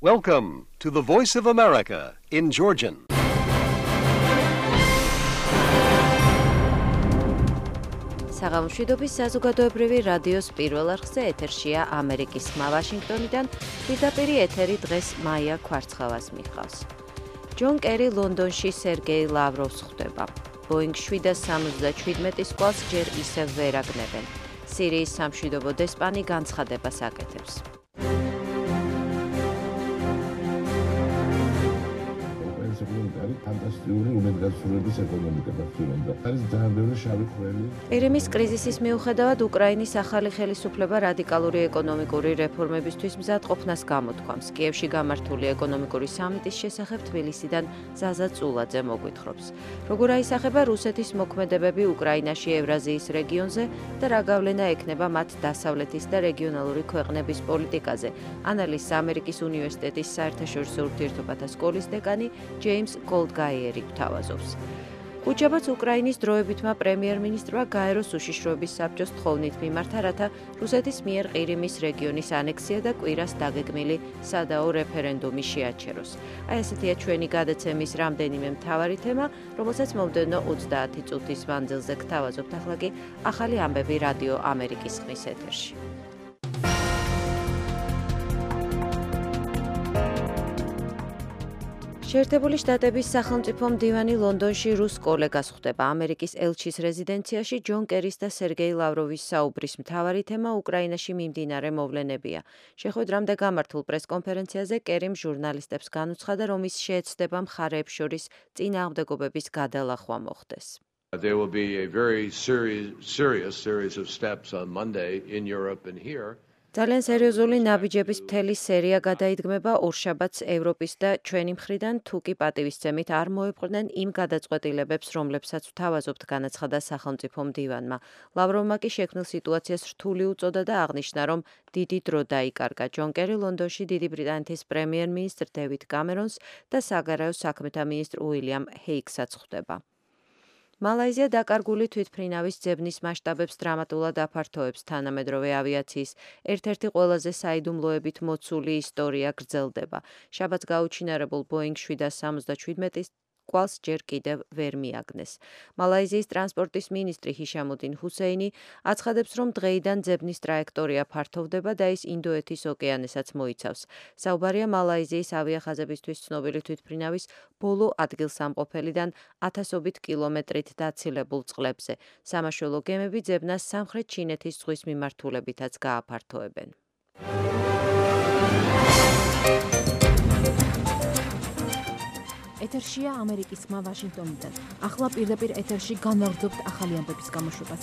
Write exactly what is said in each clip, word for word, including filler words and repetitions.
Welcome to the Voice of America in Georgian. საღამოშვიდობის საზოგადოებრივი რადიოს პირველ არხზე ეთერშია ამერიკის ხმა ვაშინგტონიდან, პირდაპირი ეთერი დღეს მაია ქვარცხავას მიჰყავს. ჯონ კერი ლონდონში სერგეი ლავროვს ხვდება. ბოინგ შვიდას სამოცდაშვიდმეტის კვალს ჯერ ისევ ვერ აგნებენ. სირიის სამშვიდობო დესპანი განცხადებას აკეთებს. ფანტასტიკური უმედგაცრუების ეკონომიკა გახსოვდა. არის ძალიან ბევრი შავი ხვრელი. ყირიმის კრიზისის მიუხედავად უკრაინის ახალი ხელისუფლება რადიკალური ეკონომიკური რეფორმებისთვის მზად ყოფნას გამოთქვამს. კიევში გამართული ეკონომიკური სამიტის შესახებ თბილისიდან ზაზა წულაძე მოგვითხრობს. როგორ აისახება რუსეთის მოქმედებები უკრაინაში ევრაზიის რეგიონზე და რა გავლენა ექნება მათ დასავლეთის და რეგიონალური ქვეყნების პოლიტიკაზე, ანალიზს ამერიკის უნივერსიტეტის საერთაშორისო ურთიერთობათა სკოლის დეკანი ჯეიმს გოლდგაიერი გვთავაზობს. უჯაბაც უკრაინის დროებითმა პრემიერ-მინისტრმა გაეროს უშიშროების საბჭოს თხოვნით მიმართა, რათა რუსეთის მიერ ყირიმის რეგიონის ანექსია და კვირას დაგეგმილი სადაო რეფერენდუმი შეაჩეროს. აი ესეთია ჩვენი გადაცემის რამდენიმე მთავარი თემა, რომელსაც მომდევნო ოცდაათი წუთის მანძილზე გთავაზობთ. ახლა კი ახალი ამბები რადიო ამერიკის ხმის ეთერში. შეერთებული შტატების სახელმწიფო მდივანი ლონდონში რუს კოლეგას ხვდება. ამერიკის ელჩის რეზიდენციაში ჯონ კერის და სერგეი ლავროვის საუბრის მთავარი თემა უკრაინაში მიმდინარე მოვლენებია. შეხვედრამდე გამართულ პრესკონფერენციაზე კერიმ ჟურნალისტებს განუცხადა, რომ ის შეეცდება მხარეებს შორის წინააღმდეგობების გადალახვა მოხდეს. There will be a very serious, serious series of steps on Monday in Europe and here. ძალიან სერიოზული ნაბიჯების მთელი სერია გადაიდგმება ორშაბათს ევროპის და ჩვენი მხრიდან, თუ კი პატივისცემით არ მოეპყრნენ იმ გადაწყვეტილებებს, რომლებსაც ვთავაზობთ, განაცხადა სახელმწიფო მდივანმა. ლავროვმა კი შექმნილ სიტუაციას რთული უწოდა და აღნიშნა, რომ დიდი დრო დაიკარგა. ჯონ კერი ლონდონში დიდი ბრიტანეთის პრემიერ-მინისტრ დევიდ კამერონს და საგარეო საქმეთა მინისტრ უილიამ ჰეიკსაც ხვდება. მალაიზია დაკარგული თვითმფრინავის ძებნის მასშტაბებს დრამატულად აფართოებს. თანამედროვე ავიაციის ერთ-ერთი ყველაზე საიდუმლოებით მოცული ისტორია გრძელდება. შაბათს გაუჩინარებულ ბოინგ შვიდას სამოცდაშვიდმეტის კვალს ჯერ კიდევ ვერ მიაგნეს. მალაიზიის ტრანსპორტის მინისტრი ჰიშამუდინ ჰუსეინი აცხადებს, რომ დღეიდან ძებნის ტრაექტორია ფართოვდება და ის ინდოეთის ოკეანესაც მოიცავს. საუბარია მალაიზიის ავიახაზებისთვის ცნობილი თვითმფრინავის ბოლო ადგილსამყოფელიდან ათასობით კილომეტრით დაცილებულ წყლებზე. სამაშველო გემები ძებნას სამხრეთ ჩინეთის ზღვის მიმართულებითაც გააფართოებენ. ეთერშია ამერიკის ხმა ვაშინგტონიდან. ახლა პირდაპირ ეთერში განვაგრძობთ ახალი ამბების გამოშვებას.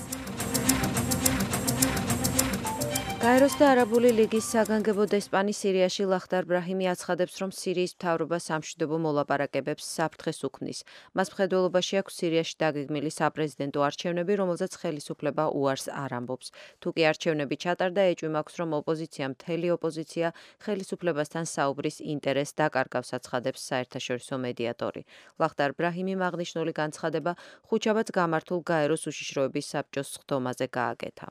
გაეროს და არაბული ლიგის საგანგებო დესპანი სირიაში ლახდარ ბრაჰიმი აცხადებს, რომ სირიის მთავრობა სამშვიდობო მოლაპარაკებებს საფრთხეს უქმნის. მას მხედველობაში აქვს სირიაში დაგეგმილი საპრეზიდენტო არჩევნები, რომელზეც ხელისუფლება უარს არ ამბობს. თუ კი არჩევნები ჩატარდა, ეჭვი მაქვს, რომ ოპოზიცია, მთელი ოპოზიცია ხელისუფლებასთან საუბრის ინტერესს დაკარგავს, აცხადებს საერთაშორისო მედიატორი. ლახდარ ბრაჰიმიმ აღნიშნული განცხადება ხუთშაბათს გამართულ გაეროს უშიშროების საბჭოს სხდომაზე გააკეთა.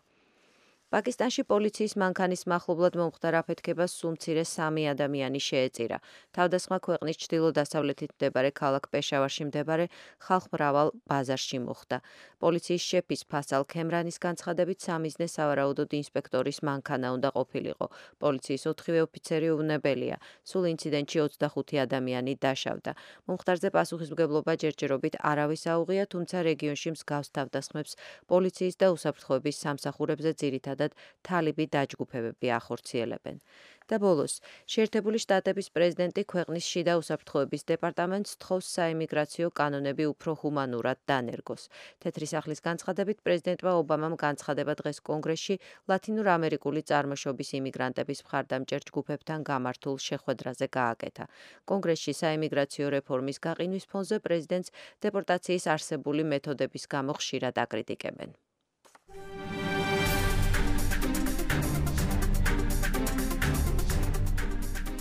პაკისტანში პოლიციის მანქანის მახლობლად მომხდარ აფეთქებას სულ მცირე სამი ადამიანი შეეწირა. თავდასხმა ქვეყნის ჩრდილო-დასავლეთით მდებარე ქალაქ პეშავარში მდებარე ხალხმრავალ ბაზარში მოხდა. პოლიციის შეფის ფასალ ქემრანის განცხადებით სამიზნე სავარაუდოდ ინსპექტორის მანქანა უნდა ყოფილიყო. პოლიციის ოთხივე ოფიცერი უვნებელია. სულ ინციდენტში ოცდახუთი ადამიანი დაშავდა. მომხდარზე პასუხისმგებლობა ჯერჯერობით არავის აუღია, თუმცა რეგიონში მსგავს თავდასხმებს პოლიციის და უსაფრთხოების სამსახურებზე ძირითადად თალიბი დაჯგუფებები ახორციელებენ. და ბოლოს, შეერთებული შტატების პრეზიდენტი ქვეყნის შიდა უსაფრთხოების დეპარტამენტს თხოვს საიმიგრაციო კანონები უფრო ჰუმანურად დანერგოს. თეთრი სახლის განცხადებით პრეზიდენტმა ობამამ განცხადება დღეს კონგრესში ლათინურ-ამერიკული წარმოშობის იმიგრანტების მხარდამჭერ ჯგუფებთან გამართულ შეხვედრაზე გააკეთა. კონგრესში საიმიგრაციო რეფორმის გაყინვის ფონზე პრეზიდენტს დეპორტაციის არსებული მეთოდების გამო ხშირად აკრიტიკებენ.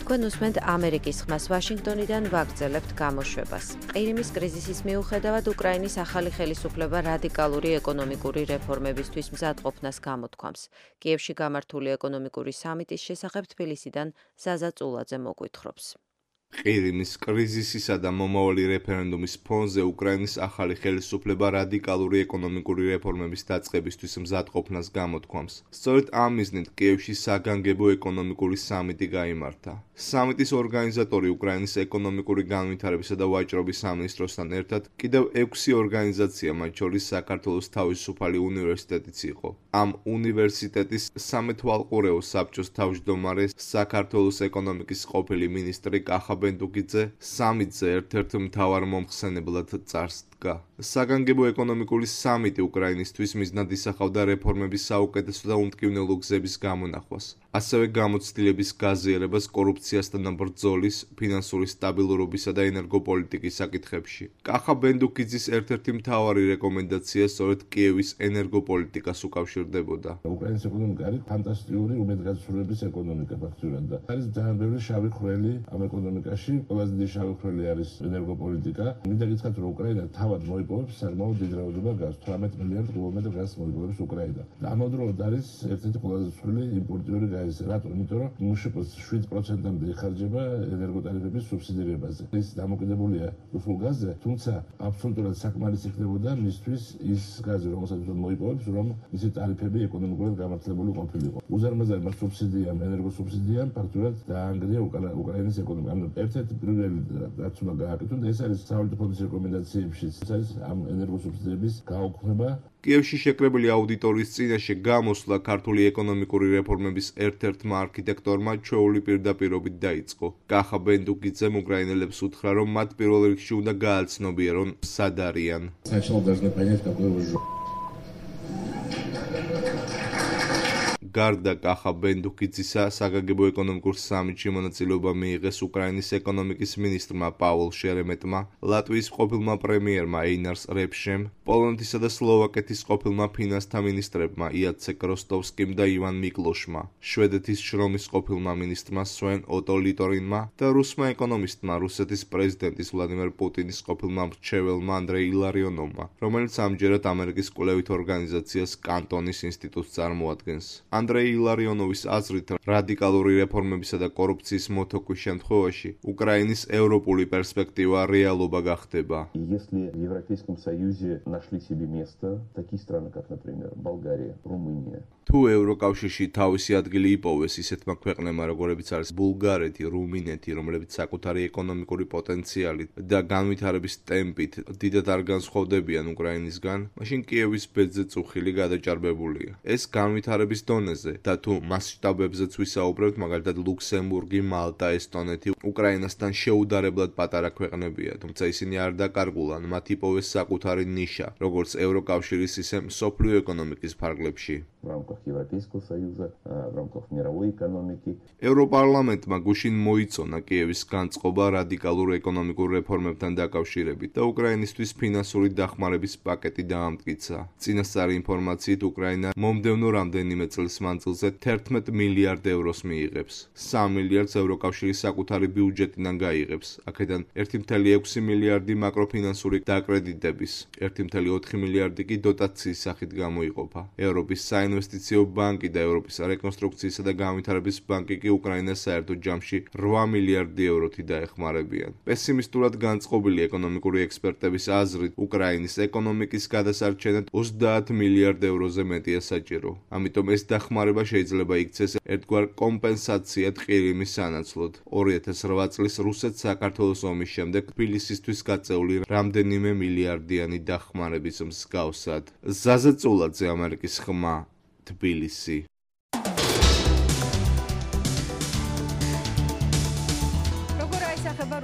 თქვენ უსმენთ ამერიკის ხმას ვაშინგტონიდან ვაგრძელებთ გამოშვებას. ყირიმის კრიზისის მიუხედავად უკრაინის ახალი ხელისუფლება რადიკალური ეკონომიკური რეფორმებისთვის მზადყოფნას გამოთქვამს. კიევში გამართული ეკონომიკური სამიტის შესახებ თბილისიდან ზაზა წულაძე მოგვითხრობს. ყირიმის კრიზისისა და მომავალი რეფერენდუმის ფონზე უკრაინის ახალი ხელისუფლება რადიკალური ეკონომიკური რეფორმების დაწყებისთვის მზადყოფნას გამოთქვამს. სწორედ ამ მიზნით კიევში საგანგებო ეკონომიკური სამიტი გაიმართა. სამიტის ორგანიზატორი უკრაინის ეკონომიკური განვითარებისა და ვაჭრობის სამინისტროსთან ერთად კიდევ ექვსი ორგანიზაცია, მათ შორის საქართველოს თავისუფალი უნივერსიტეტიც იყო. ამ უნივერსიტეტის სამეთვალყურეო საბჭოს თავმჯდომარე საქართველოს ეკონომიკის ყოფილი მინისტრი კახა ბენდუკიძე სამიტზე ერთ-ერთ მთავარ მომხსენებლად წარს დგა. საგანგებო ეკონომიკური სამიტი უკრაინისთვის მიზნად ისახავდა რეფორმების საუკეთესო და უმტკივნელო გზების გამონახვას, ასევე გამოცდილების გაზიარებას კორუფციასთან ბრძოლის, ფინანსური სტაბილურობისა და ენერგოპოლიტიკის საკითხებში. კახა ბენდუკიძის ერთ-ერთი მთავარი რეკომენდაცია სწორედ კიევის ენერგოპოლიტიკას უკავშირდებოდა. უკრაინის ეკონომიკა არის ფანტასტიკური უმედგაცრუების ეკონომიკა ფაქტურად და არის ძალიან ბევრი შავი ხვრელი ამ ეკონომიკაში. ყველაზე დიდი შავი ხვრელი არის ენერგოპოლიტიკა. მინდა გითხრათ, რომ უკრაინა თავად მოიპოვებს საკმაოდ დიდ რაოდენობა გაზს, თვრამეტ მილიარდ კუბომეტრ გაზს მოიპოვებს უკრაინა. და ამავდროულად არის ერთ-ერთი ყველაზე ცვლილი იმპორტიორი გაზი. რატომ? იმიტომ რომ მუშაკოს შვიდ პროცენტამდე იხარჯება ენერგოტარიფების სუბსიდირებაზე. ის დამოკიდებულია რუსულ გაზზე, თუმცა აბსოლუტურად საკმარისი ხდებოდა მისთვის ის გაზი, რომელსაც მოიპოვებს, რომ მისი ტარიფები ეკონომიკურად გამართლებული ყოფილიყო. უზარმაზარმა სუბსიდიამ, ენერგოსუბსიდიამ ფაქტურად დაანგრია უკრაინის ეკონომიკა. ანუ ერთ-ერთი პირველი რაც უნდა გააკეთონ, ეს არის სავალუტო ფონდის რეკომენდაციებში, ეს არის ამ ენერგოსუბსიდიების გაუქმება. კიევში შეკრებილი აუდიტორიის წინაშე გამოსვლა ქართული ეკონომიკური რეფორმების ერთ-ერთმა არქიტექტორმა ჩვეული პირდაპირობით დაიწყო. კახა ბენდუკიძემ უკრაინელებს უთხრა, რომ მათ პირველ რიგში უნდა გააცნობიერონ სად არიან. Сначала должны понять, какой вы жоп. გარდა კახა ბენდუკიძისა, საგანგებო ეკონომიკურ სამიტში მონაწილეობა მიიღეს უკრაინის ეკონომიკის მინისტრმა პაულ შერემეტმა, ლატვიის ყოფილმა პრემიერმა ეინარს რეფშემ, პოლონეთისა და სლოვაკეთის ყოფილმა ფინანსთა მინისტრებმა იაცეკ როსტოვსკიმ და ივან მიკლოშმა, შვედეთის შრომის ყოფილმა მინისტრმა სვენ ოტო ლიტორინმა და რუსმა ეკონომისტმა რუსეთის პრეზიდენტის ვლადიმერ პუტინის ყოფილმა მრჩეველმა ანდრეი ილარიონოვმა, რომელიც ამჯერად ამერიკის კვლევით ორგანიზაციას კანტონის ინსტიტუტს წარმოადგენს. ანდრეი ილარიონოვის აზრით, რადიკალური რეფორმებისა და კორუფციის მოთოკვის შემთხვევაში უკრაინის ევროპული პერსპექტივა რეალობა გახდება. Если в Европейском Союзе нашли себе место такие страны, как, например, Болгария, Румыния. თუ ევროკავშირში თავისი ადგილი იპოვეს ისეთმა ქვეყნებმა, როგორებიც არის ბულგარეთი, რუმინეთი, რომლებიც საკუთარი ეკონომიკური პოტენციალით და განვითარების ტემპით დიდად არ განსხვავდებიან უკრაინისგან, მაშინ კიევის ბედზე წუხილი გადაჭარბებულია. ეს განვითარების დონეზე და თუ მასშტაბებზეც ვისაუბრებთ, მაგალითად ლუქსემბურგი, მალტა, ესტონეთი უკრაინასთან შეუდარებლად პატარა ქვეყნებია, თუმცა ისინი არ დაკარგულან, მათ იპოვეს საკუთარი ნიშა, როგორც ევროკავშირის, ისე მსოფლიო ეკონომიკის ფარგლებში. В рамках Европейского Союза, в рамках мировой экономики. ევროპარლამენტმა გუშინ მოიწონა კიევის განწყობა რადიკალურ ეკონომიკურ რეფორმებთან დაკავშირებით და უკრაინისთვის ფინანსური დახმარების პაკეტი დაამტკიცა. წინასწარი ინფორმაციით უკრაინა მომდევნო რამდენიმე წლის მანძილზე თერთმეტ მილიარდ ევროს მიიღებს. სამ მილიარდს ევროკავშირის საკუთარი ბიუჯეტიდან გაიღებს. აქედან ერთი კoma ექვსი მილიარდი მაკროფინანსური დაკრედიტების, ერთი კoma ოთხი მილიარდი კი დოტაციის სახით გამოიყოფა. ევროპის საინვესტიციო ბანკი და ევროპის რეკონსტრუქციისა და განვითარების ბანკი კი უკრაინას საერთო ჯამში რვა მილიარდი ევროთი დაეხმარებიან. პესიმისტურად განწყობილი ეკონომიკური ექსპერტების აზრით, უკრაინის ეკონომიკის გადასარჩენად ოცდაათ მილიარდ ევროზე მეტია საჭირო. ამიტომ ეს დახმარება შეიძლება იქცეს ერთგვარ კომპენსაციად ყირიმის სანაცვლოდ. ორი ათას რვა წლის რუსეთ-საქართველოს ომის შემდეგ თბილისისთვის გაწეული რამდენიმე მილიარდიანი დახმარების მსგავსად. ზაზა წულაძე, ამერიკის ხმა, თბილისი.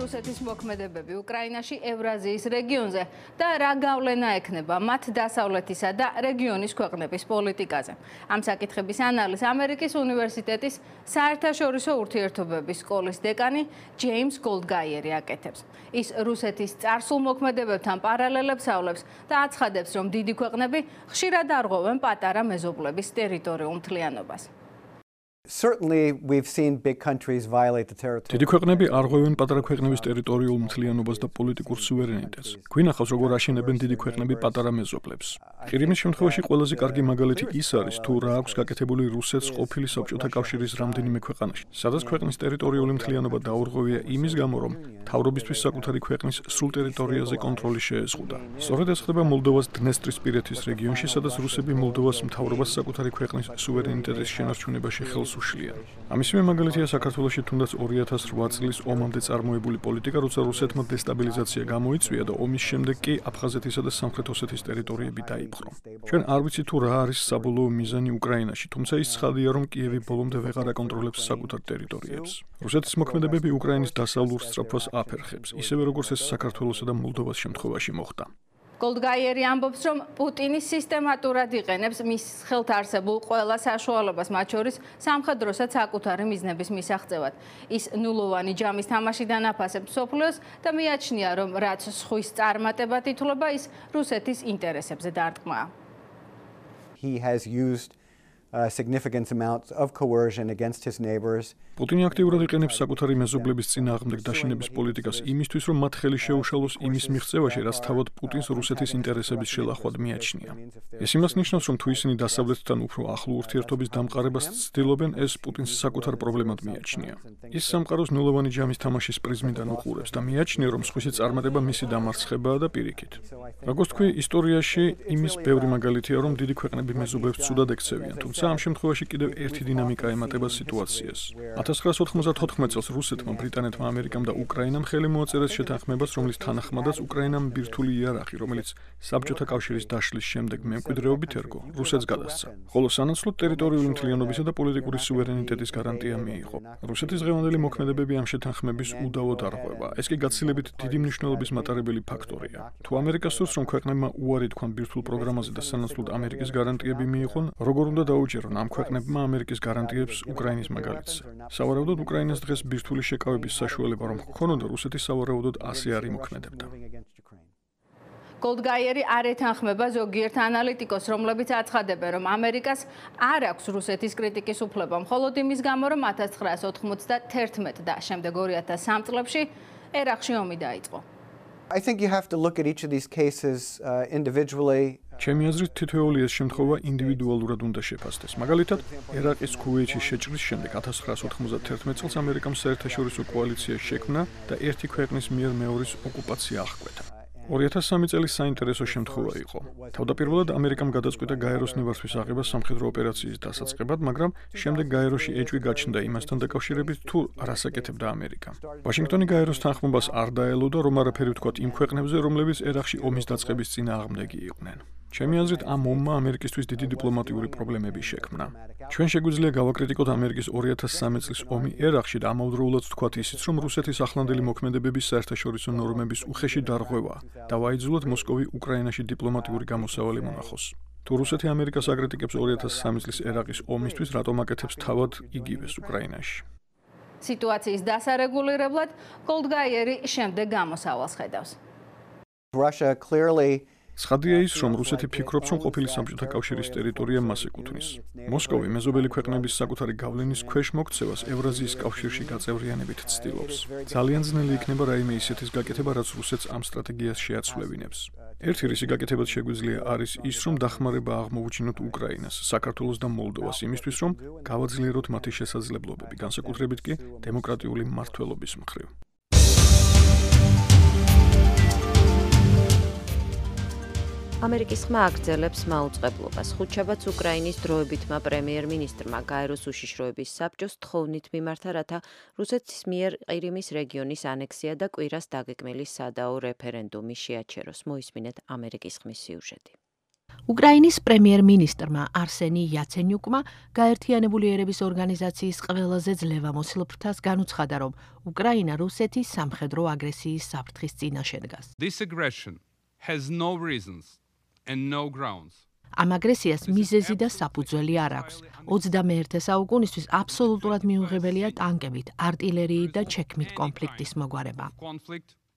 რუსეთის მოქმედებები უკრაინაში ევრაზიის რეგიონზე და რა გავლენა ექნება მათ დასავლეთისა და რეგიონის ქვეყნების პოლიტიკაზე. ამ საკითხების ანალიზს ამერიკის უნივერსიტეტის საერთაშორისო ურთიერთობების სკოლის დეკანი ჯეიმს გოლდგაიერი აკეთებს. ის რუსეთის წარსულ მოქმედებებთან პარალელებს ავლებს და აცხადებს, რომ დიდი ქვეყნები ხშირად არღვევენ პატარა მეზობლების ტერიტორიულ მთლიანობას. Certainly we've seen big countries violate the territory. დიდი ქვეყნები არღვევენ პატარა ქვეყნების ტერიტორიულ მთლიანობას და პოლიტიკურ სუვერენიტეტს. გვინახავს, როგორ აშენებენ დიდი ქვეყნები პატარა მეზობლებს. ყირიმის შემთხვევაში ყველაზე კარგი მაგალითი ის არის, თუ რა აქვს გაკეთებული რუსეთს ყოფილი საბჭოთა კავშირის რამდენიმე ქვეყანაში, სადაც ქვეყნის ტერიტორიული მთლიანობა დაურღვევია იმის გამო, რომ მთავრობისთვის საკუთარი ქვეყნის სრულ ტერიტორიაზე კონტროლი შეეზღუდა. სწორედ ეს ხდება მოლდოვას დნესტრისპირეთის რეგიონში, სადაც რუსები მოლდოვას მთავრობას საკუთარი ქვეყნის სუვერენიტეტის შენარჩუნებაში ხელს უშლიან. ამისივე მაგალითია საქართველოში თუნდაც ორი ათას რვა წლის ომამდე წარმოებული პოლიტიკა, როცა რუსეთმა დესტაბილიზაცია გამოიწვია და ომის შემდეგ კი აფხაზეთისა და სამხრეთ ოსეთის ტერიტორიები დაიპყრო. ჩვენ არ ვიცით თუ რა არის საბოლოო მიზანი უკრაინაში, თუმცა ის ცხადია, რომ კიევი ბოლომდე ვეღარ აკონტროლებს საკუთარ ტერიტორიებს. რუსეთის მოქმედებები უკრაინის დასავლურ სწრაფვას აფერხებს, ისევე როგორც ეს საქართველოსა და მოლდოვას შემთხვევაში მოხდა. Goldgeieri ამბობს, რომ პუტინი სისტემატურად იყენებს მის ხელთ არსებულ ყველა საშუალებას, მათ შორის სამხედროსაც საკუთარი მიზნების მისაღწევად. ის ნულოვანი ჯამის თამაშიდან აფასებს მსოფლიოს და მიაჩნია, რომ რაც სხვის წარმატებად ითვლება, ის რუსეთის ინტერესებზე დარტყმაა. He has used uh, significant amounts of coercion against his neighbors. პუტინი აქტიურად იყენებს საკუთარი მეზობლების წინააღმდეგ დაშინების პოლიტიკას იმისთვის, რომ მათ ხელი შეუშალოს იმის მიღწევაში, რაც თავად პუტინს რუსეთის ინტერესების შელახვად მიაჩნია. ეს იმას ნიშნავს, რომ თუ ისინი დასავლეთთან უფრო ახლო ურთიერთობის დამყარებას ცდილობენ, ეს პუტინს საკუთარ პრობლემად მიაჩნია. ის სამყაროს ნულოვანი ჯამის თამაშის პრიზმიდან უყურებს და მიაჩნია, რომ სხვისი წარმატება მისი დამარცხებაა და პირიქით. როგორც თქვი, ისტორიაში იმის ბევრი მაგალითია, რომ დიდი ქვეყნები მეზობლებს ცუდად ექცევიან, თუმცა ამ შემთხვევაში კიდევ ერთი დინამიკა ემატება სიტუაციას. ათას ცხრაას ოთხმოცდათოთხმეტ წელს რუსეთმა, ბრიტანეთმა, ამერიკამ და უკრაინამ ხელი მოაწერეს შეთანხმებას, რომლის თანახმადაც უკრაინამ ბირთვული იარაღი, რომელიც საბჭოთა კავშირის დაშლის შემდეგ მემკვიდრეობით ერგო, რუსეთს გადასცა. ხოლო სანაცვლოდ ტერიტორიული მთლიანობისა და პოლიტიკური სუვერენიტეტის გარანტია მიიღო. რუსეთის დღევანდელი მოქმედებები ამ შეთანხმების უდავოდ არღვევა. ეს კი გაცილებით დიდი მნიშვნელობის მატარებელი ფაქტორია. თუ ამერიკას სურს, რომ ქვეყნებმა უარი თქვან ბირთვულ პროგრამაზე და სანაცვლოდ ამერიკის გარანტიები მიიღონ, როგორ უნდა დაუჯერონ ამ ქვეყნებმა ამერიკის გარანტიებს უკრაინის მაგალითზე. სავარაუდოდ უკრაინას დღეს ბირთვული შეკავების საშუალება რომ ჰქონოდა, რუსეთი სავარაუდოდ ასე არ იმოქმედებდა. Goldgeieri არ ეთანხმება ზოგიერთ ანალიტიკოს, რომლებიც აცხადებენ, რომ ამერიკას არ აქვს რუსეთის კრიტიკის უფლება, მხოლოდ იმის გამო, რომ ათას ცხრაას ოთხმოცდათერთმეტ და შემდეგ ორი ათას სამ წლებში ერაყში ომი დაიწყო. I think you have to look at each of these cases uh, individually. ჩემი აზრით, თითოეული ეს შემთხვევა ინდივიდუალურად უნდა შეფასდეს. მაგალითად, ერაყის ქუვეითში შეჭრის შემდეგ ათას ცხრაას ოთხმოცდათერთმეტ წელს ამერიკამ საერთაშორისო კოალიცია შექმნა და ერთი ქვეყნის მიერ მეორის ოკუპაცია აღკვეთა. ორი ათას სამი წელი საინტერესო შემთხვევა იყო. თავდაპირველად ამერიკამ გადაწყვიტა გაეროს ნებართვის აღება სამხედრო ოპერაციის დასაწყებად, მაგრამ შემდეგ გაეროში ეჭვი გაჩნდა იმასთან დაკავშირებით, თუ რას აკეთებდა ამერიკა. ვაშინგტონი გაეროს თანხმობას არ დაელოდა, რომ არაფერი ვთქვათ იმ ქვეყნებზე, რომლებიც ერაყში ომის დაწყების წინააღმდეგი იყვნენ. ჩემი აზრით, ამ ომმა ამერიკისთვის დიდი დიპლომატიური პრობლემები შექმნა. ჩვენ შეგვიძლია გავაკრიტიკოთ ამერიკის ორი ათას სამი წლის ომი ერაყში და ამავდროულად ვთქვათ ისიც, რომ რუსეთის ახლანდელი მოქმედებების საერთაშორისო ნორმების უხეში დარღვევა და ვაიძულოთ მოსკოვი უკრაინაში დიპლომატიური გამოსავალი მონახოს. თუ რუსეთი ამერიკას აკრიტიკებს ორი ათას სამი წლის ერაყის ომისთვის, რატომ აკეთებს თავად იგივეს უკრაინაში? სიტუაციის დასარეგულირებლად Goldgeieri შემდეგ გამოსავალს ხედავს. Russia clearly ცხადია ის, რომ რუსეთი ფიქრობს, რომ ყოფილი საბჭოთა კავშირის ტერიტორია მას ეკუთვნის. მოსკოვი მეზობელი ქვეყნების საკუთარი გავლენის ქვეშ მოქცევას ევრაზიის კავშირში გაწევრიანებით ცდილობს. ძალიან ძნელი იქნება რაიმე ისეთის გაკეთება, რაც რუსეთს ამ სტრატეგიას შეაცვლევინებს. ერთი რისი გაკეთებად შეგვიძლია არის ის, რომ დახმარება აღმოუჩინოთ უკრაინას, საქართველოს და მოლდოვას იმისთვის, რომ გავაძლიეროთ მათი შესაძლებლობები, განსაკუთრებით კი დემოკრატიული მმართველობის მხრივ. ამერიკის ხმა აგრძელებს მაუწყებლობას. ხუთშაბათს უკრაინის დროებითმა პრემიერ-მინისტრმა გაეროს უშიშროების საბჭოს თხოვნით მიმართა, რათა რუსეთის მიერ ყირიმის რეგიონის ანექსია და კვირას დაგეგმილი სადაო რეფერენდუმი შეაჩეროს. მოისმინეთ ამერიკის ხმის სიუჟეტი. უკრაინის პრემიერ-მინისტრმა არსენი იაცენიუკმა გაერთიანებული ერების ორგანიზაციის ყველაზე ძლევამოსილ ფრთას განუცხადა, რომ უკრაინა რუსეთის სამხედრო აგრესიის საფრთხის წინაშე დგას. This aggression has no reasons and no grounds. ამ აგრესიას მიზეზი და საფუძველი არ აქვს. ოცდამეერთე საუკუნისთვის აბსოლუტურად მიუღებელია ტანკებით, არტილერიით და ჩექმით კონფლიქტის მოგვარება.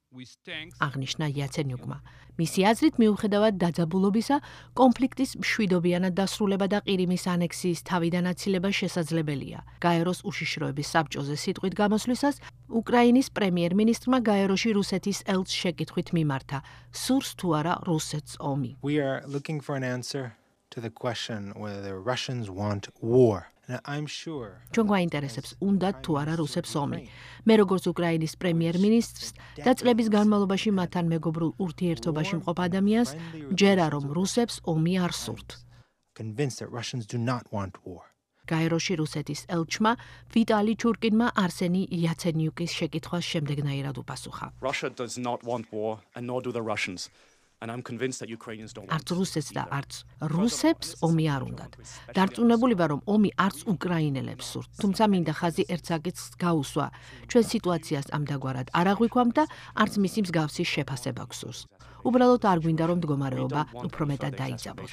აღნიშნა იაცენიუკმა. მისი აზრით, მიუხედავად დაძაბულობისა, კონფლიქტის მშვიდობიანად დასრულება და ყირიმის ანექსიის თავიდან აცილება შესაძლებელია. გაეროს უშიშროების საბჭოზე სიტყვით გამოსვლისას, უკრაინის პრემიერ-მინისტრმა გაეროში რუსეთის ელჩს შეკითხვით მიმართა, სურს თუ არა რუსეთს ომი. We are looking for an answer to the question whether the Russians want war. ჩვენ გვაინტერესებს, უნდათ თუ არა რუსებს ომი. მე როგორც უკრაინის პრემიერ-მინისტრს და წლების განმავლობაში მათთან მეგობრულ ურთიერთობაში მყოფ ადამიანს, ჯერა რომ რუსებს ომი არ სურთ. გაეროში რუსეთის ელჩმა ვიტალი ჩურკინმა არსენი იაცენიუკის შეკითხვას შემდეგნაირად უპასუხა. Russia does not want war and nor do the Russians. And I'm convinced that Ukrainians don't want არც რუსეთს და არც რუსებს ომი არ უნდათ. დარწმუნებული ვარ, რომ ომი არც უკრაინელებს სურთ. თუმცა მინდა ხაზი ერთ საკითხს გაუსვა. ჩვენ სიტუაციას ამდაგვარად არ აღვიქვამთ და არც მისი მსგავსი შეფასება გვსურს. უბრალოდ არ გვინდა რომ მდგომარეობა უფრო მეტად დაიძაბოს.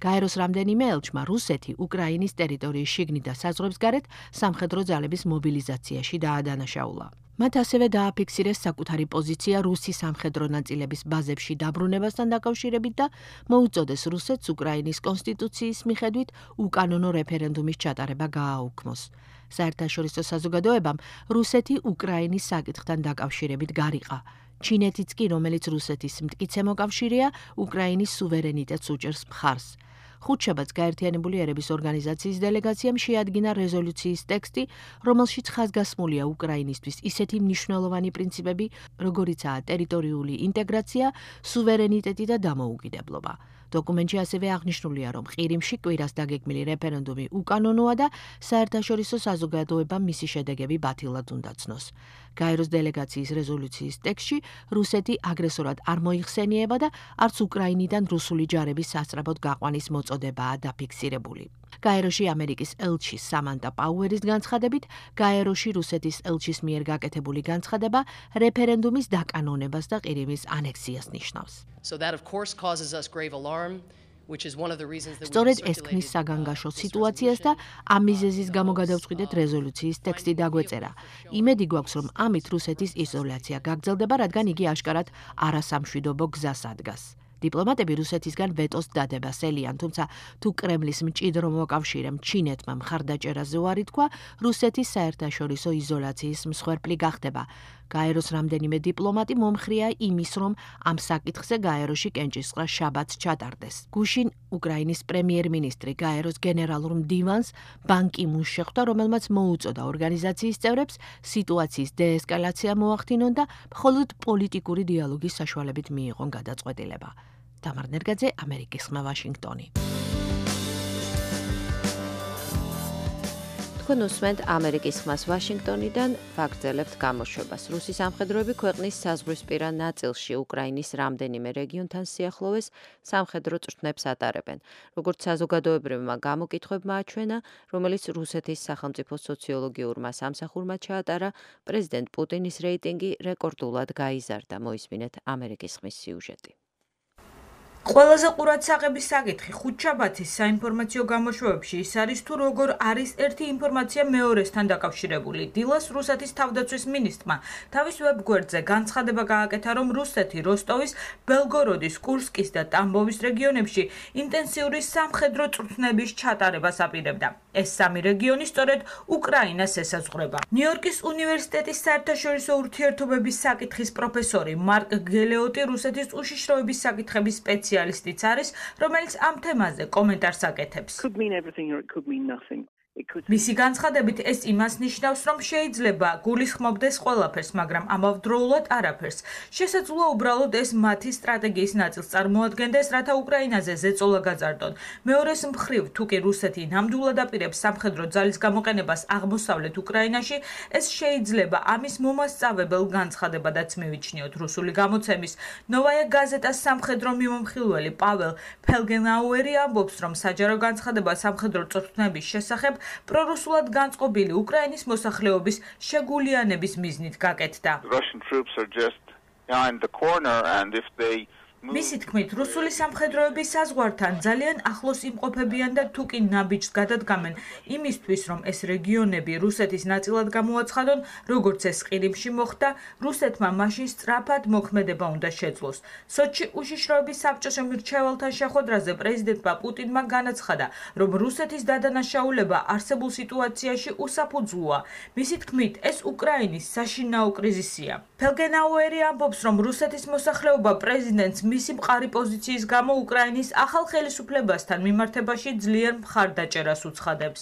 გაეროს რამდენიმე ელჩმა რუსეთი უკრაინის ტერიტორიის შიგნით და საზღვრებს გარეთ სამხედრო ძალების მობილიზაციაში დაადანაშაულა. მათ ასევე დააფიქსირეს საკუთარი პოზიცია რუსი სამხედრო ნაწილების ბაზებში დაბრუნებასთან დაკავშირებით და მოუწოდეს რუსეთს უკრაინის კონსტიტუციის მიხედვით უკანონო რეფერენდუმის ჩატარება გააუქმოს. საერთაშორისო საზოგადოებამ რუსეთი უკრაინის საკითხთან დაკავშირებით გარიყა. ჩინეთიც კი, რომელიც რუსეთის მტკიცე მოკავშირეა, უკრაინის სუვერენიტეტს უჭერს მხარს. ხუთშაბათს გაერთიანებული ერების ორგანიზაციის დელეგაციამ შეადგინა რეზოლუციის ტექსტი, რომელშიც ხაზგასმულია უკრაინისთვის ისეთი მნიშვნელოვანი პრინციპები, როგორიცაა ტერიტორიული ინტეგრაცია, სუვერენიტეტი და დამოუკიდებლობა. დოკუმენტში ასევე აღნიშნულია, რომ ყირიმში კვირას დაგეგმილი რეფერენდუმი უკანონოა და საერთაშორისო საზოგადოებამ მისი შედეგები ბათილად უნდა ცნოს. გაეროს დელეგაციის რეზოლუციის ტექსტში რუსეთი აგრესორად არ მოიხსენიება და არც უკრაინიდან რუსული ჯარების სასწრაფოდ გაყვანის მოწოდებაა დაფიქსირებული. გაეროში ამერიკის ელჩი სამანტა პაუერის განცხადებით, გაეროში რუსეთის ელჩის მიერ გაკეთებული განცხადება რეფერენდუმის დაკანონებას და ყირიმის ანექსიას ნიშნავს. So that of course causes us grave alarm. სწორედ ეს ქმნის საგანგაშო სიტუაციას და ამ მიზეზის გამო გადავწყვიტეთ რეზოლუციის ტექსტი დაგვეწერა. იმედი გვაქვს, რომ ამით რუსეთის იზოლაცია გაგრძელდება, რადგან იგი აშკარად არასამშვიდობო გზას ადგას. დიპლომატები რუსეთისგან ვეტოს დადებას ელიან, თუმცა თუ კრემლის მჭიდრო მოკავშირემ ჩინეთმა მხარდაჭერაზე უარი თქვა, რუსეთის საერთაშორისო იზოლაციის მსხვერპლი გახდება. გაეროს რამდენიმე დიპლომატი მომხრეა იმის, რომ ამ საკითხზე გაეროში კენჭისყრა შაბათს ჩატარდეს. გუშინ უკრაინის პრემიერ-მინისტრი გაეროს გენერალურ მდივანს ბან კი მუნს შეხვდა, რომელმაც მოუწოდა ორგანიზაციის წევრებს სიტუაციის დეესკალაცია მოახდინონ და მხოლოდ პოლიტიკური დიალოგის საშუალებით მიიღონ გადაწყვეტილება. თამარ ნერგაძე, ამერიკის ხმა, ვაშინგტონი. თქვენ უსმენთ ამერიკის ხმას ვაშინგტონიდან, ვაგრძელებთ გამოშვებას. რუსი სამხედროები ქვეყნის საზღვრისპირა ნაწილში უკრაინის რამდენიმე რეგიონთან სიახლოვეს სამხედრო წვრთნებს ატარებენ. როგორც საზოგადოებრივმა გამოკითხვებმა აჩვენა, რომელიც რუსეთის სახელმწიფო სოციოლოგიურმა სამსახურმა ჩაატარა, პრეზიდენტ პუტინის რეიტინგი რეკორდულად გაიზარდა. მოისმინეთ ამერიკის ხმის სიუჟეტი. ყველაზე ყურადსაღები საკითხი ხუთშაბათის საინფორმაციო გამოშვებებში ის არის, თუ როგორ არის ერთი ინფორმაცია მეორესთან დაკავშირებული. დილას რუსეთის თავდაცვის მინისტრმა თავის ვებგვერდზე განცხადება გააკეთა, რომ რუსეთი როსტოვის, ბელგოროდის, კურსკის და ტამბოვის რეგიონებში ინტენსიური სამხედრო წვრთნების ჩატარებას აპირებდა. ეს სამი რეგიონი სწორედ უკრაინას ესაზღვრება. ნიუ-იორკის უნივერსიტეტის საერთაშორისო ურთიერთობების საკითხის პროფესორი მარკ გელეოტი რუსეთის უშიშროების საკითხების სპეციალისტიც არის, რომელიც ამ თემაზე კომენტარს აკეთებს. მისი განცხადებით ეს იმას ნიშნავს, რომ შეიძლება გულისხმობდეს ყველაფერს, მაგრამ ამავდროულად არაფერს. შესაძლოა უბრალოდ ეს მათი სტრატეგიის ნაწილს წარმოადგენდეს, რათა უკრაინაზე ზეწოლა გაზარდონ. მეორეს მხრივ, თუ კი რუსეთი ნამდვილად აპირებს სამხედრო ძალის გამოყენებას აღმოსავლეთ უკრაინაში, ეს შეიძლება ამის მომასწავებელ განცხადებადაც მივიჩნიოთ. რუსული გამოცემის ნოვაია გაზეტას სამხედრო მიმომხილველი პაվել ფელგენაუერი ამბობს, რომ საჯარო განცხადება სამხედრო წვრთნების შესახებ პრორუსულად განწყობილი უკრაინის მოსახლეობის შეგულიანების მიზნით გაკეთდა. Russian troops are just behind the corner and if they მისი თქმით, რუსული სამხედროები საზღვართან ძალიან ახლოს იმყოფებიან და თუ კი ნაბიჯს გადადგამენ იმისთვის, რომ ეს რეგიონები რუსეთის ნაწილად გამოაცხადონ, როგორც ეს ყირიმში მოხდა, რუსეთმა მაშინ სწრაფად მოქმედება უნდა შეძლოს. სოჩი უშიშროების საბჭოს მრჩეველთან შეხვედრაზე პრეზიდენტმა პუტინმა განაცხადა, რომ რუსეთის დადანაშაულება არსებულ სიტუაციაში უსაფუძვლოა. მისი თქმით, ეს უკრაინის საშინაო კრიზისია. ფელგენაუერი ამბობს, რომ რუსეთის მოსახლეობა პრეზიდენტს მისი მყარი პოზიციის გამო უკრაინის ახალ ხელისუფლებასთან მიმართებაში ძლიერ მხარდაჭერას უცხადებს.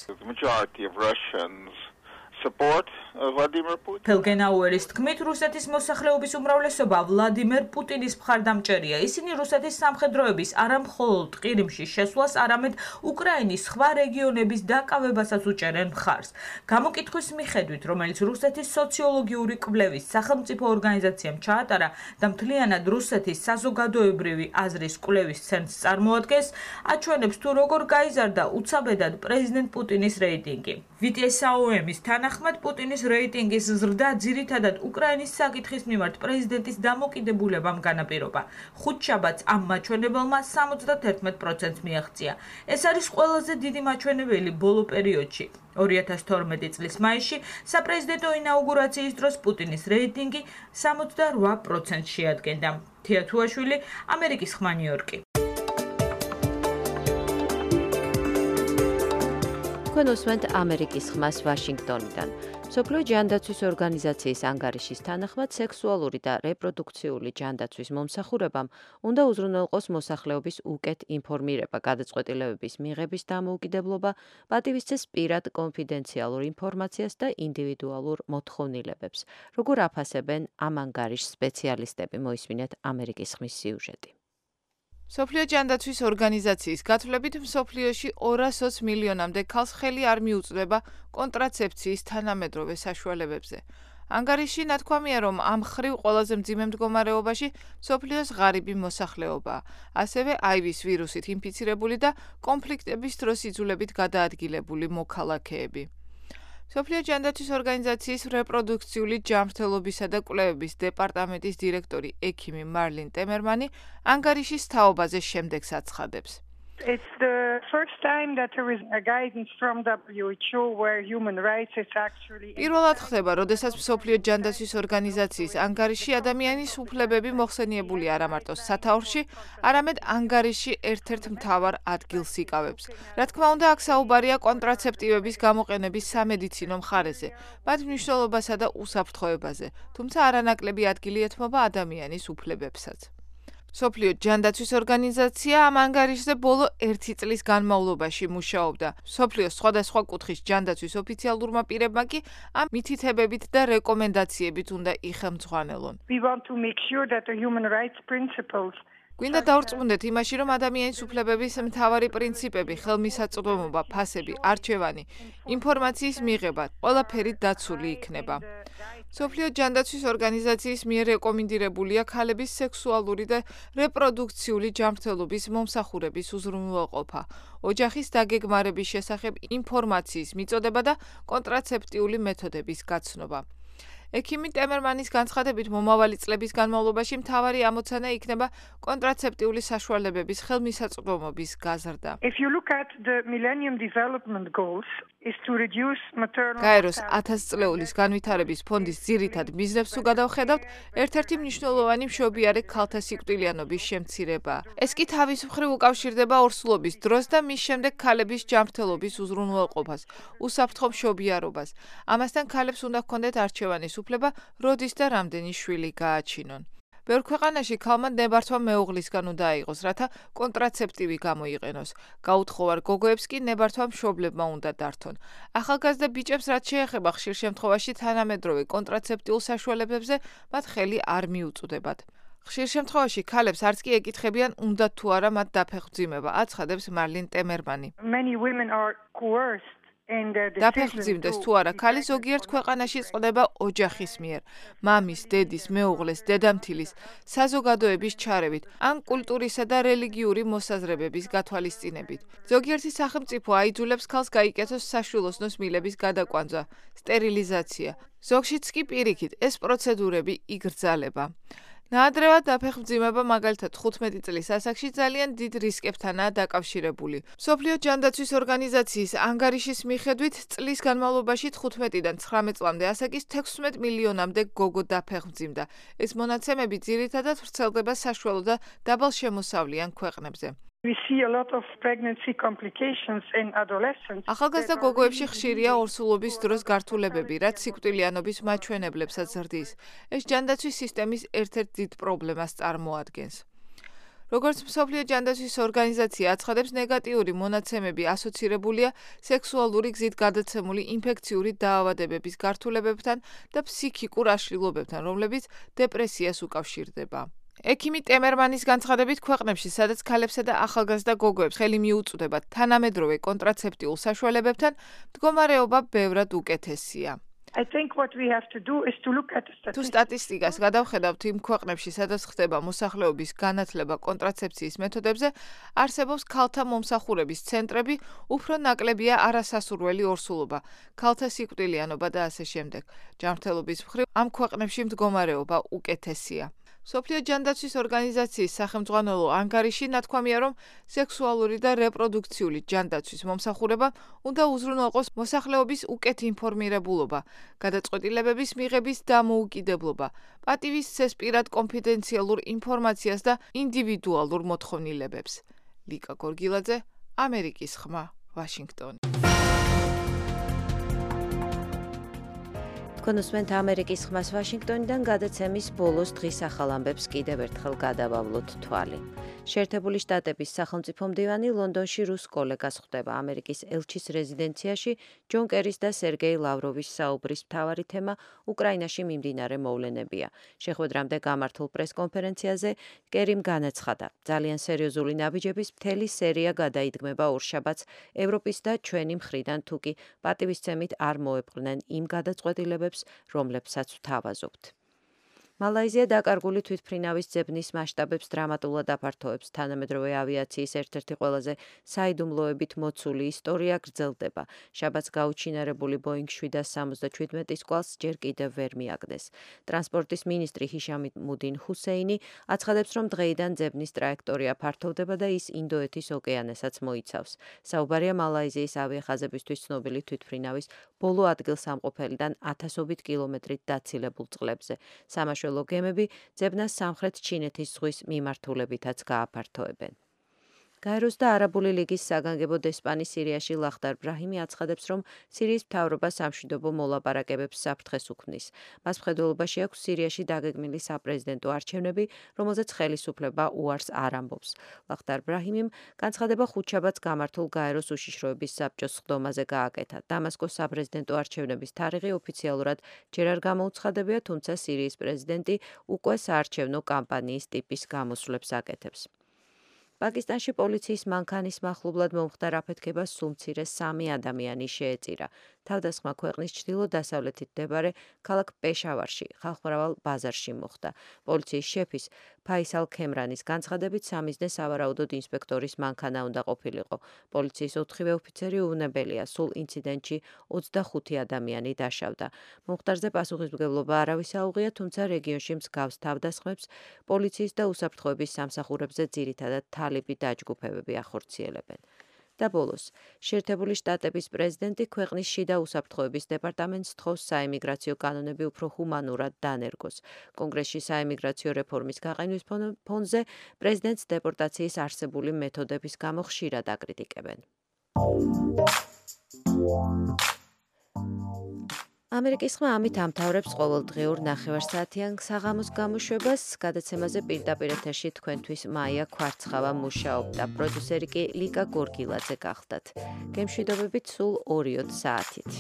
ფელგენაუერის თქმით, რუსეთის მოსახლეობის უმრავლესობა ვლადიმერ პუტინის მხარდამჭერია. ისინი რუსეთის სამხედროების არა მხოლოდ ყირიმში შესვლას, არამედ უკრაინის სხვა რეგიონების დაკავებასაც უჭერენ მხარს. გამოკითხვის მიხედვით, რომელიც რუსეთის სოციოლოგიური კვლევის სახელმწიფო ორგანიზაციამ ჩაატარა და მთლიანად რუსეთის საზოგადოებრივი აზრის კვლევის ცენტრს წარმოადგენს, აჩვენებს თუ როგორ გაიზარდა უცაბედად პრეზიდენტ პუტინის რეიტინგი. ვიტესაუემის თანახმად პუტინის რეიტინგის ზრდა ძირითადად უკრაინის საკითხის მიმართ პრეზიდენტის დამოკიდებულებამ განაპირობა. ხუთშაბათს ამ მაჩვენებელმა სამოცდაერთმეტ პროცენტს მიაღწია. ეს არის ყველაზე დიდი მაჩვენებელი ბოლო პერიოდში. ორი ათას თორმეტი წლის მაისში საპრეზიდენტო ინაუგურაციის დროს პუტინის რეიტინგი სამოცდარვა პროცენტს შეადგენდა. თია თუაშვილი, ამერიკის ხმა ნიუ-იორკი. თქვენ უსმენთ ამერიკის ხმას ვაშინგტონიდან. მსოფლიო ჯანდაცვის ორგანიზაციის ანგარიშის თანახმად სექსუალური და რეპროდუქციული ჯანდაცვის მომსახურებამ უნდა უზრუნველყოს მოსახლეობის უკეთ ინფორმირება, გადაწყვეტილებების მიღების დამოუკიდებლობა, პატივისცეს პირად კონფიდენციალურ ინფორმაციას და ინდივიდუალურ მოთხოვნილებებს. როგორ აფასებენ ამ ანგარიშს სპეციალისტები, მოისმინეთ ამერიკის ხმის სიუჟეტი. მსოფლიო ჯანდაცვის ორგანიზაციის გათვლებით მსოფლიოში ორას ოცი მილიონამდე ქალს ხელი არ მიუწვდება კონტრაცეფციის თანამედროვე საშუალებებზე. ანგარიში ნათქვამია, რომ ამ ხრივ ყველაზე მძიმე მდგომარეობაში მსოფლიოს ღარიბი მოსახლეობაა, ასევე აივის ვირუსით ინფიცირებული და კონფლიქტების დროს იძულებით გადაადგილებული მოქალაქეები. მსოფლიო ჯანდაცვის ორგანიზაციის რეპროდუქციული ჯანმრთელობისა და კვლევების დეპარტამენტის დირექტორი ექიმი მარლინ ტემერმანი ანგარიშის თაობაზე შემდეგს აცხადებს. It's the first time that there is a guidance from W H O where human rights is actually პირველად ხდება, როდესაც მსოფლიო ჯანდაცვის ორგანიზაციის ანგარიში ადამიანის უფლებები მოხსენიებული არა მარტო სათაურში, არამედ ანგარიში ერთ-ერთ მთავარ ადგილს იკავებს. რა თქმა უნდა, აქ საუბარია კონტრაცეპტივების გამოყენების სამედიცინო მხარეზე, მათ მნიშვნელობასა და უსაფრთხოებაზე, თუმცა არანაკლები ადგილი ეთმობა ადამიანის უფლებებსაც. მსოფლიო ჯანდაცვის ორგანიზაცია ამ ანგარიშზე ბოლო ერთი წლის განმავლობაში მუშაობდა. მსოფლიოს სხვადასხვა კუთხის ჯანდაცვის ოფიციალურმა პირებმა კი ამ მითითებებით და რეკომენდაციებით უნდა იხელმძღვანელონ. We want to make sure that the human rights principles გვინდა დავრწმუნდეთ იმაში, რომ ადამიანის უფლებების მთავარი პრინციპები, ხელმისაწვდომობა, ფასები, არჩევანი, ინფორმაციის მიღება, ყველაფერი დაცული იქნება. მსოფლიო ჯანდაცვის ორგანიზაციის მიერ რეკომენდირებულია ქალების სექსუალური და რეპროდუქციული ჯანმრთელობის მომსახურების უზრუნველყოფა, ოჯახის დაგეგმარების შესახებ ინფორმაციის მიწოდება და კონტრაცეპტიული მეთოდების გაცნობა. ექიმი ტემერმანის განცხადებით, მომავალი წლების განმავლობაში მთავარი ამოცანა იქნება კონტრაცეპტიული საშუალებების ხელმისაწვდომობის გაზრდა. If you look at the Millennium Development Goals is to reduce maternal გაეროს ათას წლეულის განვითარების ფონდის ძირითად მიზნებს თუ გადავხედავთ, ერთ-ერთი მნიშვნელოვანი მშობიარე ქალთა სიკვდილიანობის შემცირებაა. ეს კი თავის მხრივ უკავშირდება ორსულობის დროს და მის შემდეგ ქალების ჯანმრთელობის უზრუნველყოფას, უსაფრთხო მშობიარობას. ამასთან ქალებს უნდა ჰქონდეთ არჩევანის უფლება, როდის და რამდენი შვილი გააჩინონ. ბევრ ქვეყანაში ქალმა ნებართვა მეუღლისგან უნდა აიღოს, რათა კონტრაცეპტივი გამოიყენოს. გაუთხოვარ გოგოებს კი ნებართვა მშობლებმა უნდა დართონ. ახალგაზრდა ბიჭებს რაც შეეხება ხშირ შემთხვევაში თანამედროვე კონტრაცეპტიულ საშუალებებზე, მათ ხელი არ მიუწვდებათ. ხშირ შემთხვევაში ქალებს არც კი ეკითხებიან, უნდა თუ არა მათ დაფეხმძიმება, აცხადებს მარლინ ტემერმანი. Many women are coerced დაფეხმძიმდეს თუ არა, ქალი ზოგიერთ ქვეყანაში წყდება ოჯახის მიერ, მამის, დედის, მეუღლეს, დედამთილის, საზოგადოების ჩარევით, ან კულტურისა და რელიგიური მოსაზრებების გათვალისწინებით. ზოგიერთი სახელმწიფო აიძულებს ქალს გაიკეთოს საშვილოსნოს მილების გადაკვანძა, სტერილიზაცია. ზოგშიც კი პირიქით, ეს პროცედურები იგრძალება. ნაადრევად დაფეხმძიმება მაგალითად თხუთმეტი წლის ასაკში ძალიან დიდ რისკებთანაა დაკავშირებული. მსოფლიო ჯანდაცვის ორგანიზაციის ანგარიშის მიხედვით წლის განმავლობაში თხუთმეტიდან ცხრამეტ წლამდე ასაკის თექვსმეტ მილიონამდე გოგო დაფეხმძიმდა. ეს მონაცემები ძირითადად ვრცელდება საშუალო და დაბალშემოსავლიან ქვეყნებზე. We see a lot of pregnancy complications in adolescents. ახალგაზრდა გოგოებში ხშირია ორსულობის დროს გართულებები, რაც სიკვდილიანობის მაჩვენებლებსაც ზრდის. ეს ჯანდაცვის სისტემის ერთ-ერთ დიდ პრობლემას წარმოადგენს. როგორც მსოფლიო ჯანდაცვის ორგანიზაცია აცხადებს, ნეგატიური მონაცემები ასოცირებულია სექსუალური გზით გადაცემული ინფექციური დაავადებების გართულებებთან და ფსიქიკურ აშლილობებთან, რომლებიც დეპრესიას უკავშირდება. ექიმი ტემერმანის განცხადებით, ქვეყნებში, სადაც ქალებსა და ახალგაზრდა გოგოებს ხელი მიუწვდება თანამედროვე კონტრაცეპტიულ საშუალებებთან, მდგომარეობა ბევრად უკეთესია. I think what we have to do is to look at the statistics. თუ სტატისტიკას გადავხედავთ იმ ქვეყნებში, სადაც ხდება მოსახლეობის განათლება კონტრაცეფციის მეთოდებზე, არსებობს ქალთა მომსახურების ცენტრები, უფრო ნაკლებია არასასურველი ორსულობა, ქალთა სიკვდილიანობა და ასე შემდეგ. ჯანმრთელობის მხრივ ამ ქვეყნებში მდგომარეობა უკეთესია. მსოფლიო ჯანდაცვის ორგანიზაციის სახელმძღვანელო ანგარიში ნათქვამია, რომ სექსუალური და რეპროდუქციული ჯანდაცვის მომსახურება უნდა უზრუნველყოს მოსახლეობის უკეთ ინფორმირებულობა, გადაწყვეტილებების მიღების დამოუკიდებლობა, პატივის ცესპირად კონფიდენციალურ ინფორმაციას და ინდივიდუალურ მოთხოვნილებებს. ლიკა გორგილაძე, ამერიკის ხმა, ვაშინგტონი. კონსვენტ ამერიკის ხმას ვაშინგტონიდან გადაცემის ბოლოს დღის ახალ ამბებს კიდევ ერთხელ გადავავლოთ თვალი. შეერთებული შტატების სახელმწიფო მდივანი ლონდონში რუს კოლეგას ხვდება. ამერიკის ელჩის რეზიდენციაში ჯონ კერის და სერგეი ლავროვის საუბრის მთავარი თემა უკრაინაში მიმდინარე მოვლენებია. შეხვედრამდე გამართულ პრესკონფერენციაზე კერიმ განაცხადა, ძალიან სერიოზული ნაბიჯების მთელი სერია გადაიდგმება ორშაბათს ევროპის და ჩვენი მხრიდან, თუკი პატივისცემით არ მოეპყრნენ იმ გადაწყვეტილებებს, რომლებსაც ვთავაზობთ. მალაიზია დაკარგული თვითმფრინავის ძებნის მასშტაბებს დრამატულად აფართოებს. თანამედროვე ავიაციის ერთ-ერთი ყველაზე საიდუმლოებით მოცული ისტორია გრძელდება. შაბათს გაუჩინარებული ბოინგ შვიდას სამოცდაჩვიდმეტის კვალს ჯერ კიდევ ვერ მიაგნეს. ტრანსპორტის მინისტრი ჰიშამუდინ ჰუსეინი აცხადებს, რომ დღეიდან ძებნის ტრაექტორია ფართოვდება და ის ინდოეთის ოკეანესაც მოიცავს. საუბარია მალაიზიის ავიახაზებისთვის ცნობილი თვითმფრინავის ბოლო ადგილსამყოფელიდან ათასობით კილომეტრით დაცილებულ წყლებზე. სამაშველო გემები ძებნას სამხრეთ ჩინეთის ზღვის მიმართულებითაც გააფართოებენ. გაეროს და არაბული ლიგის საგანგებო დესპანი სირიაში ლახდარ ბრაჰიმი აცხადებს, რომ სირიის მთავრობა სამშვიდობო მოლაპარაკებებს საფრთხეს უქმნის. მას მხედველობაში აქვს სირიაში დაგეგმილი საპრეზიდენტო არჩევნები, რომელზეც ხელისუფლება უარს არ ამბობს. ლახდარ ბრაჰიმიმ განცხადება ხუთშაბათს გამართულ გაეროს უშიშროების საბჭოს სხდომაზე გააკეთა. დამასკოს საპრეზიდენტო არჩევნების თარიღი ოფიციალურად ჯერ არ გამოუცხადებია, თუმცა სირიის პრეზიდენტი უკვე საარჩევნო კამპანიის ტიპის გამოსვლებს აკეთებს. პაკისტანში პოლიციის მანქანის მახლობლად მომხდარ აფეთქებას სულ მცირე სამი ადამიანი შეეწირა. თავდასხმა ქვეყნის ჩრდილო-დასავლეთით მდებარე ქალაქ პეშავარში, ხალხმრავალ ბაზარში მოხდა. პოლიციის შეფის ფაისალ ქემრანის განცხადებით, სამიზნე სავარაუდოდ ინსპექტორის მანქანა უნდა ყოფილიყო. პოლიციის ოთხივე ოფიცერი უვნებელია, სულ ინციდენტში ოცდახუთი ადამიანი დაშავდა. მომხდარზე პასუხისმგებლობა არავის აუღია, თუმცა რეგიონში მსგავს თავდასხმებს პოლიციის და უსაფრთხოების სამსახურებზე ძირითადად თალიბი დაჯგუფებები ახორციელებენ. და ბოლოს, შეერთებული შტატების პრეზიდენტი ქვეყნის შიდა უსაფრთხოების დეპარტამენტს თხოვს საიმიგრაციო კანონები უფრო ჰუმანურად დანერგოს. კონგრესში საიმიგრაციო რეფორმის გაყენვის ფონზე პრეზიდენტს დეპორტაციის არსებული მეთოდების გამო ხშირად აკრიტიკებენ. ამერიკის ხმა ამით ამთავრებს ყოველდღიურ ნახევარსაათიან საღამოს გამოშვებას. გადაცემაზე პირდაპირ ეთერში თქვენთვის მაია ქვარცხავა მუშაობდა. პროდიუსერი კი ლიკა გორგილაძე გახლდათ. გემშვიდობებით სულ ორიოდ საათით.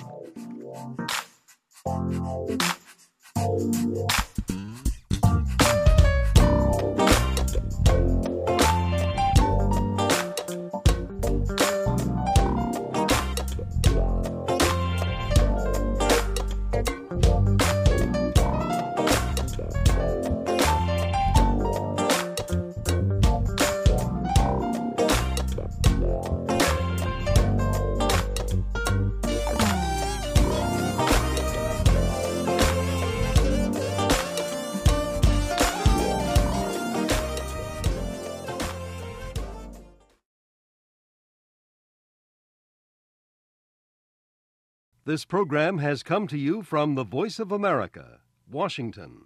This program has come to you from the Voice of America, Washington.